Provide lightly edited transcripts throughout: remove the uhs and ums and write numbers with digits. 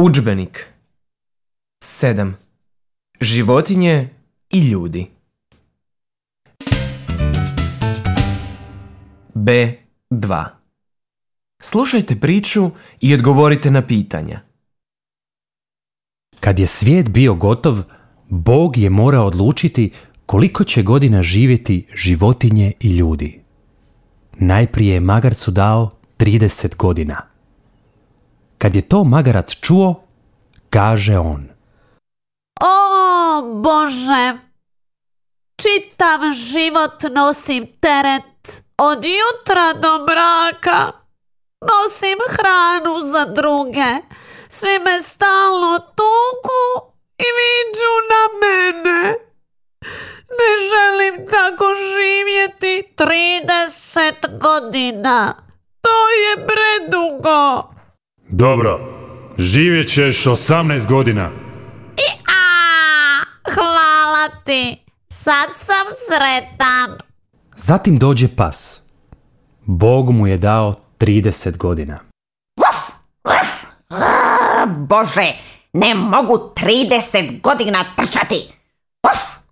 Udžbenik 7. Životinje i ljudi. B2. Slušajte priču i odgovorite na pitanja. Kad je svijet bio gotov, Bog je morao odlučiti koliko će godina živjeti životinje i ljudi. Najprije je magarcu dao 30 godina. Kad je to magarac čuo, kaže on: O Bože, čitav život nosim teret, od jutra do mraka. Nosim hranu za druge, svi me stalno tuku i viču na mene. Ne želim tako živjeti 30 godina. To je predugo. Dobro, živjet ćeš 18 godina. Hvala ti, sad sam sretan. Zatim dođe pas. Bog mu je dao 30 godina. Bože, ne mogu 30 godina trčati.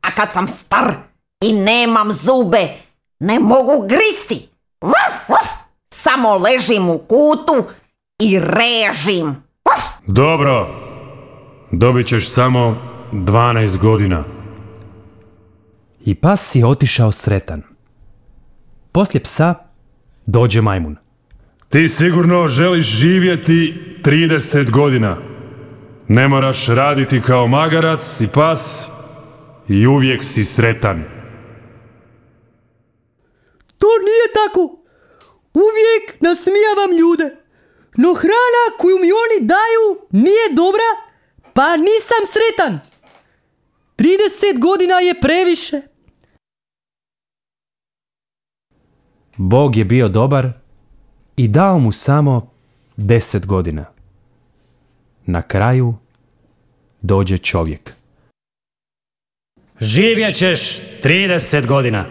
A kad sam star i nemam zube, ne mogu gristi. Samo ležim u kutu i režim. Dobro, dobit ćeš samo 12 godina. I pas je otišao sretan. Poslije psa dođe majmun. Ti sigurno želiš živjeti 30 godina. Ne moraš raditi kao magarac i pas i uvijek si sretan. To nije tako. Uvijek nasmijavam ljude. No hrana koju mi oni daju nije dobra, pa nisam sretan. 30 godina je previše. Bog je bio dobar i dao mu samo 10 godina. Na kraju dođe čovjek. Živjet ćeš 30 godina.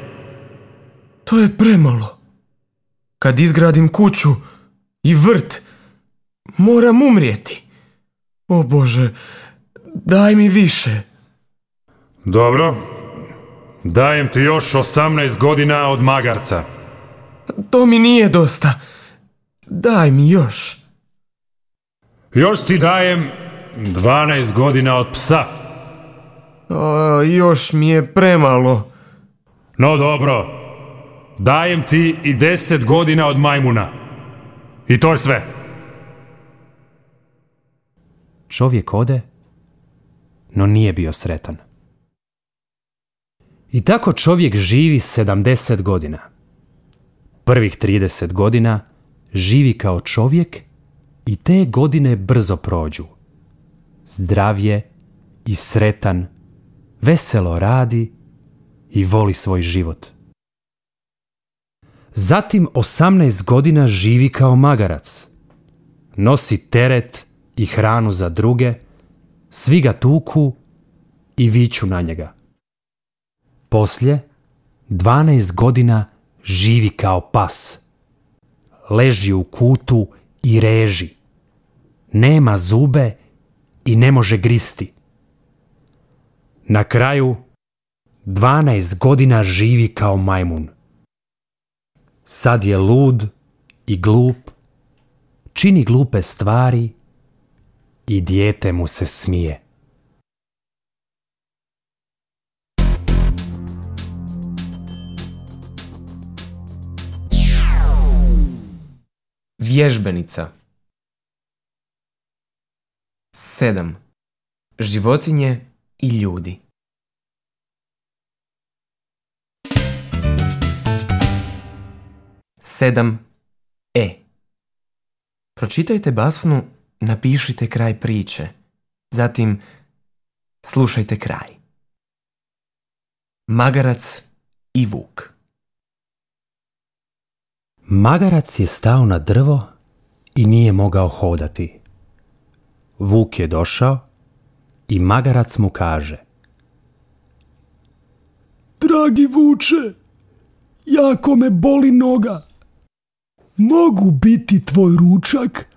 To je premalo. Kad izgradim kuću i vrt, moram umrijeti. O Bože, daj mi više. Dobro, dajem ti još 18 godina od magarca. To mi nije dosta. Daj mi još. Još ti dajem 12 godina od psa. Još mi je premalo. No dobro, dajem ti i 10 godina od majmuna. I to je sve. Čovjek ode, no nije bio sretan. I tako čovjek živi 70 godina. Prvih 30 godina živi kao čovjek i te godine brzo prođu. Zdrav je i sretan, veselo radi i voli svoj život. Zatim 18 godina živi kao magarac. Nosi teret i hranu za druge, svi ga tuku i viču na njega. Poslije 12 godina živi kao pas. Leži u kutu i reži. Nema zube i ne može gristi. Na kraju 12 godina živi kao majmun. Sad je lud i glup, čini glupe stvari i dijete mu se smije. Vježbenica 7. Životinje i ljudi. Sedam. Pročitajte basnu, napišite kraj priče. Zatim slušajte kraj. Magarac i vuk. Magarac je stao na drvo i nije mogao hodati. Vuk je došao i magarac mu kaže: Dragi vuče, jako me boli noga. Mogu biti tvoj ručak,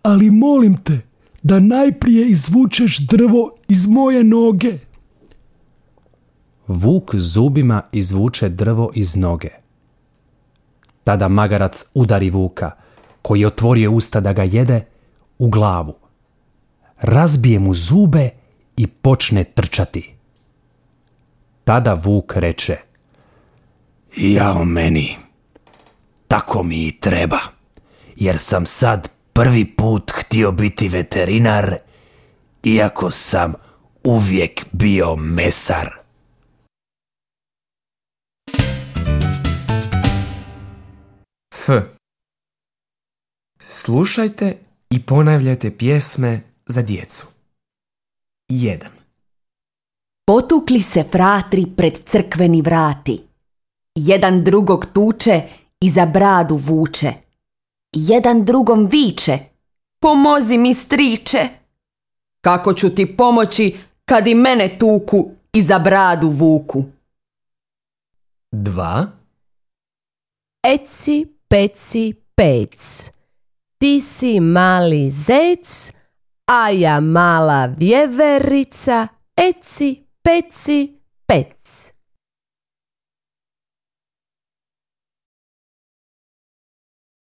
ali molim te, da najprije izvučeš drvo iz moje noge. Vuk zubima izvuče drvo iz noge. Tada magarac udari vuka, koji je otvorio usta da ga jede, u glavu. Razbije mu zube i počne trčati. Tada vuk reče: Jao meni, tako mi i treba, jer sam sad prvi put htio biti veterinar, iako sam uvijek bio mesar. F. Slušajte i ponavljajte pjesme za djecu. 1. Potukli se fratri pred crkveni vrati. Jedan drugog tuče i za bradu vuče. Jedan drugom viče: Pomozi mi, striče! Kako ću ti pomoći kad i mene tuku i za bradu vuku? 2. Eci, peci, pec. Ti si mali zec, a ja mala vjeverica. Eci, peci, pec.